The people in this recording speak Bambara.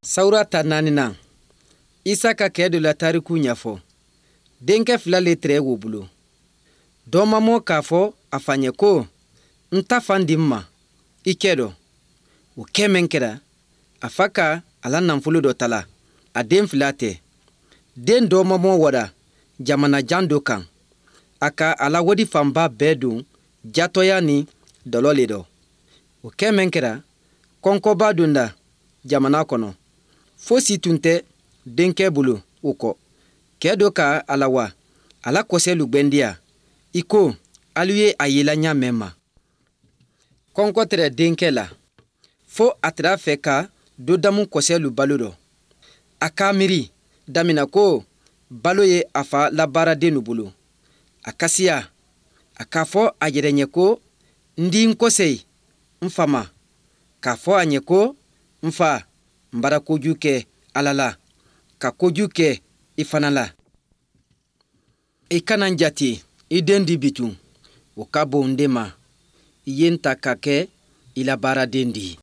Sawura ta naaninan, Isa ka kɛ dɔ la tariku ɲɛfɔ. Denkɛ fila le tɛrɛ wo bolo. Dɔmamɔ k'a fɔ a fa ɲɛ ko, n ta fan di n ma, i kɛ dɔ. O kɛ min kɛra, a fa ka a la nafolo dɔ tala, a den fila tɛ. Den dɔmamɔ wara jamana jan dɔ kan. A ka a la wadi fanba bɛɛ don jatɔya ni dɔlɔ le dɔ. O kɛ min kɛra, kɔnkɔba donda jamana kɔnɔ. Fosi tun tɛ denkɛ bolo o kɔ. Kɛ dɔ ka a la wa, a la kɔsɛlu gwɛndiya, i ko alu ye a yela ɲa mɛn ma. Kɔnkɔ tɛrɛ denkɛ la, fo a tɛrɛ a fɛ ka dɔ damu kɔsɛlu balo dɔ. A k'a miiri damina ko balo ye a fa la baaradennu bolo. A ka siya, a k'a fɔ a yɛrɛ ɲɛ ko, n di n kɔsɛyi n fa ma, k'a fɔ a ɲɛ ko, n fa, n bara kojugu kɛ Ala la, ka kojugu kɛ i fana la. I kana n jate i den di bitun, o ka bon n de ma. I ye n ta ka kɛ i la baaraden di.